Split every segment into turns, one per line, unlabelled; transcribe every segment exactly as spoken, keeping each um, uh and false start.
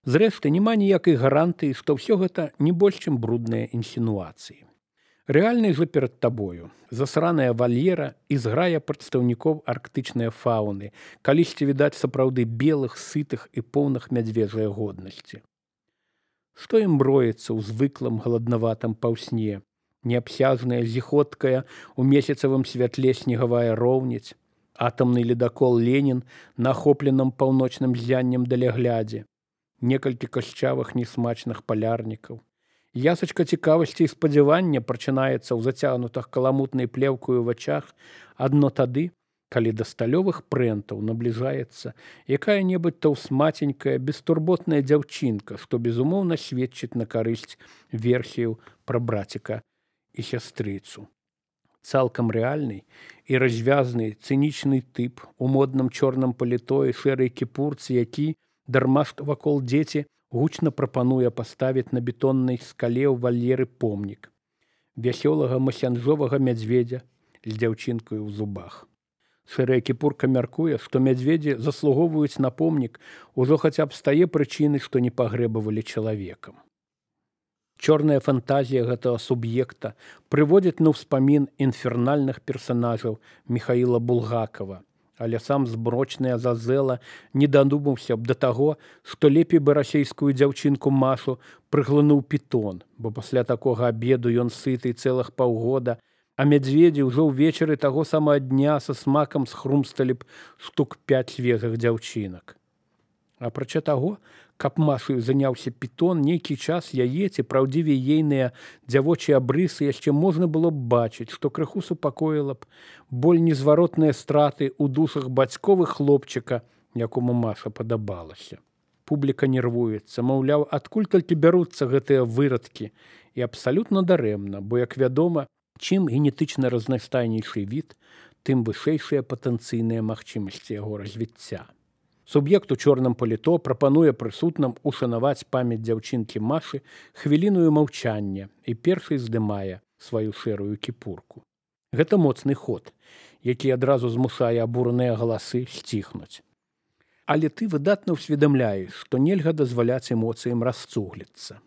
Зрэшты, няма ніякай гарантыі, што ўсё гэта не больш, чым брудныя інсінуацыі. Рэальнай жа перад табою засраная вальера і зграя прадстаўнікоў арктычнай фауны, калісьці відаць сапраўды белых, сытых і поўных мядзвежай годнасці. Што ім броецца ў звыклым галаднаватым паўсне, неабсяжная, зіхоткая, у месяцавым святле снегавая роўніць, атамны ледакол Ленін на ахопленым паўночным ззяннем даляглядзе, некалькі кашчавых несмачных палярнікаў. Ясачка цікавасці і спадзявання прачынаецца ў зацягнутых каламутнай плеўкаю ў вачах адно тады, калі да сталёвых прэнтаў набліжаецца якая-небудзь таўсмаценькая, бестурботная дзяўчынка, што безумоўна сведчыць на карысць версію пра браціка і сястрыцу. Цалкам рэальны і развязны цынічны тып у модным чорным паліто і шэрай кіпурцы, які, дарма што вакол дзеці, гучна прапануе паставіць на бетоннай скале ў вальеры помнік вясёлага масянжовага мядзведзя з дзяўчынкаю ў зубах. Шэрая кіпурка мяркуе, што мядзведзі заслугоўваюць на помнік ужо хаця б з тае прычыны, што не пагрэбавалі чалавекам. Чорная фантазія гэтага суб'екта прыводзіць на ўспамін інфернальных персанажаў Міхаіла Булгакова, але сам зброчны Азазела не дадумаўся б да таго, што лепей бы расейскую дзяўчынку Машу прыглынуў пітон, бо пасля такога абеду ён сыты цэлых паўгода, а мядзведзі ўжо ўвечары таго самага дня са смакам схрумсталі б штук пяць свежых дзяўчынак. Апрача таго, каб Машаю заняўся пітон, нейкі час яе, ці праўдзівей ейныя дзявочыя абрысы яшчэ можна было б бачыць, што крыху супакоіла б боль незваротныя страты ў душах бацьковых хлопчыка, якому Маша падабалася. Публіка нервуецца, маўляў, адкуль толькі бяруцца гэтыя вырадкі, і абсалютна дарэмна, бо, як вядома, чым генетычна разнастайнейшы від, тым вышэйшыя патэнцыйныя магчымасці яго развіцця. Суб'ект у чорным паліто прапануе прысутным ушанаваць памяць дзяўчынкі Машы хвіліною маўчання і першай здымае сваю шэрую кіпурку. Гэта моцны ход, які адразу змушае абураныя галасы сціхнуць. Але ты выдатна ўсведамляеш, што нельга дазваляць эмоцыям расцугліцца.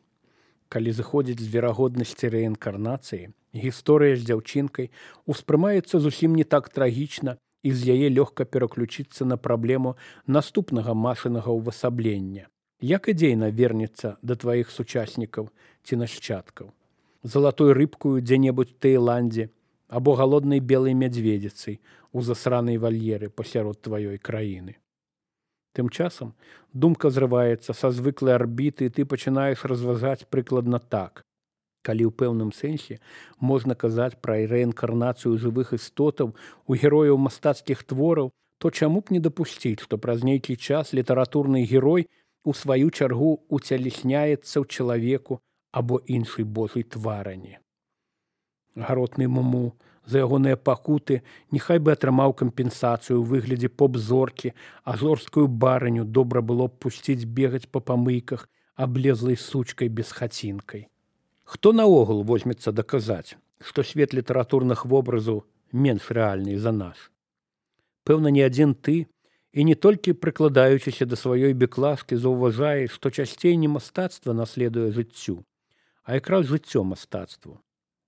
Калі зыходзіць з верагоднасці рэінкарнацыі, гісторыя з дзяўчынкай успрымаецца зусім не так трагічна, і з яе лёгка пераключыцца на праблему наступнага Машынага ўвасаблення. Як ідзейна вернецца да тваіх сучаснікаў ці нашчадкаў? Залатой рыбкую дзе-небудзь Таіландзе або галоднай белай мядзведзіцай у засранай вальеры пасярод тваёй краіны. Тым часам думка зрываецца са звыклай арбіты, і ты пачынаеш разважаць прыкладна так. Калі ў пэўным сэнсе можна казаць пра рэінкарнацыю жывых істотаў у герояў мастацкіх твораў, то чаму б не дапусціць, што праз нейкі час літаратурны герой у сваю чаргу уцялесняецца ў чалавеку або іншай божай тварані. Гаротны Муму за ягоныя пакуты няхай бы атрымаў кампенсацыю ў выглядзе поп-зоркі, а зорскую барыню добра было б пусціць бегаць па памыйках аблезлай сучкай без хацінкай. Хто наогул возьмецца даказаць, што свет літаратурных вобразаў менш рэальны за нас? Пэўна, не адзін ты, і не толькі прыкладаючыся да сваёй беклажкі заўважае, што часцей не мастацтва наследуе жыццю, а якраз жыццё мастацтву.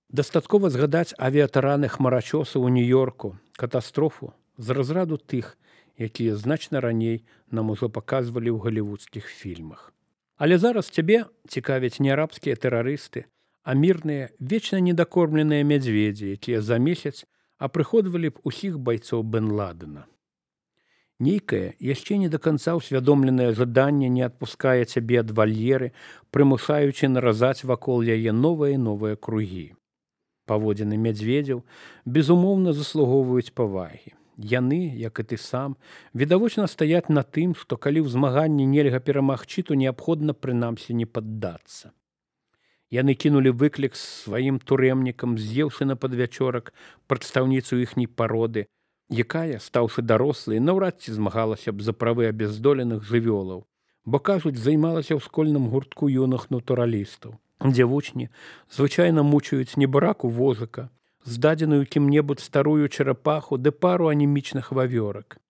Дастаткова згадаць авіятараны хмарачоса ў Нью-Йорку, катастрофу з разраду тых, якія значна раней нам ужо паказвалі ў галівудскіх фільмах. Але зараз цябе цікавяць не арабскія тэрарысты, а мірныя, вечна недакормленыя мядзведзі, якія за месяц апрыходвалі б усіх байцоў Бен Ладена. Нейкае, яшчэ не да канца ўсвядомленае жаданне не адпускае цябе ад вальеры, прымушаючы наразаць вакол яе новыя і новыя кругі. Паводзіны мядзведзяў, безумоўна, заслугоўваюць павагі. Яны, як і ты сам, відавочна стаяць на тым, што калі ў змаганні нельга перамагчы, то неабходна прынамсі не паддацца. Яны кінулі выклік сваім турэмнікам, з'еўшы на падвячорак прадстаўніцу іхняй пароды, якая, стаўшы дарослай, наўрад ці змагалася б за правы абяздоленых жывёлаў, бо, кажуць, займалася ў школьным гуртку юных натуралістаў, дзе вучні звычайна мучаюць небараку возака, здадзеную кім-небудзь старую чарапаху ды пару анемічных вавёрак.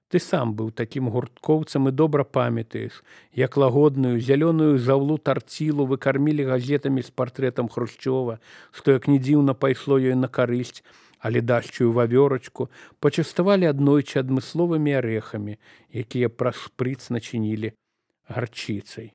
Ты сам быў такім гурткоўцам і добра памятаеш, як лагодную зялёную заўлу тарцілу вы кармілі газетамі з партрэтам Хрушчова, што, як ні дзіўна, пайшло ёй на карысць, але дашчую вавёрачку пачаставалі аднойчы адмысловымі арэхамі, якія праз шпрыц начынілі гарчыцай.